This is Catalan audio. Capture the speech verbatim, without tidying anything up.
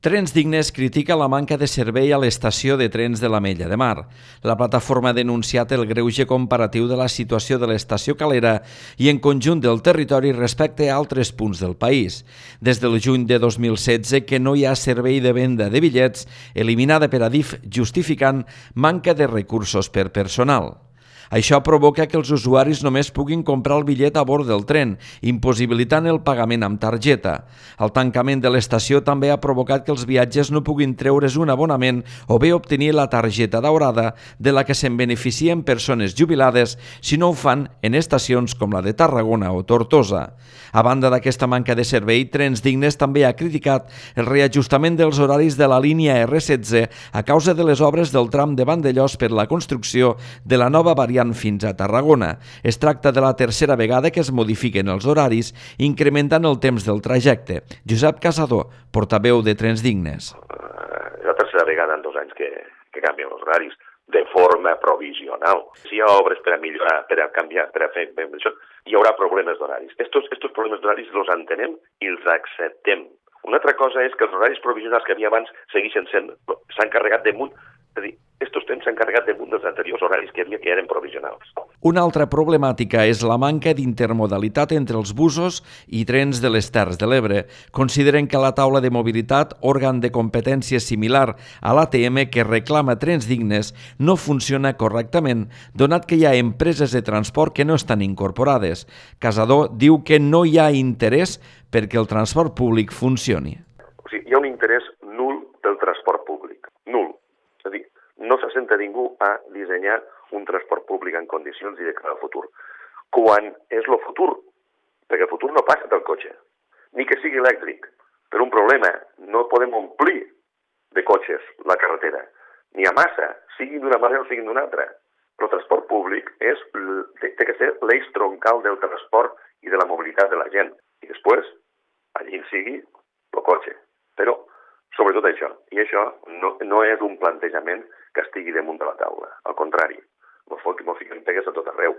Trens Dignes critica la manca de servei a l'estació de trens de l'Ametlla de Mar. La plataforma ha denunciat el greuge comparatiu de la situació de l'estació Calera i en conjunt del territori respecte a altres punts del país. Des del juny de dos mil setze que no hi ha servei de venda de bitllets, eliminada per Adif justificant manca de recursos per personal. Això provoca que els usuaris només puguin comprar el bitllet a bord del tren, impossibilitant el pagament amb targeta. El tancament de l'estació també ha provocat que els viatgers no puguin treure's un abonament o bé obtenir la targeta daurada de la que se'n beneficien persones jubilades si no ho fan en estacions com la de Tarragona o Tortosa. A banda d'aquesta manca de servei, Trens Dignes també ha criticat el reajustament dels horaris de la línia erre setze a causa de les obres del tram de Vandellòs per la construcció de la nova variant fins a Tarragona. Es tracta de la tercera vegada que es modifiquen els horaris, incrementant el temps del trajecte. Josep Casador, portaveu de Trens Dignes. És la tercera vegada en dos anys que, que canvien els horaris, de forma provisional. Si hi ha obres per a millorar, per a canviar, per a fer això, hi haurà problemes d'horaris. Estos, estos problemes d'horaris els entenem i els acceptem. Una altra cosa és que els horaris provisionals que havia abans segueixen sent, s'han carregat damunt, és a dir, estos temps s'han carregat damunt dels anteriors horaris que havia que eren provisionals. Una altra problemàtica és la manca d'intermodalitat entre els busos i trens de les Terres de l'Ebre. Consideren que la taula de mobilitat, òrgan de competència similar a l'A T M que reclama Trens Dignes, no funciona correctament, donat que hi ha empreses de transport que no estan incorporades. Casador diu que no hi ha interès perquè el transport públic funcioni. O sigui, hi ha un interès nul del transport públic, nul. És a dir, no s'assenta ningú a dissenyar un transport públic en condicions i de cara al futur. Quan és el futur, perquè el futur no passa del cotxe, ni que sigui elèctric. Per un problema, no podem omplir de cotxes la carretera, ni a massa, siguin d'una manera o siguin d'una altra. Però el transport públic és, té que ser l'eix troncal del transport i de la mobilitat de la gent. I després, allí sigui el cotxe. Però, sobretot això, i això no, no és un plantejament que estigui damunt de la taula. Al contrari, m'ho fiquen pegues a tot arreu.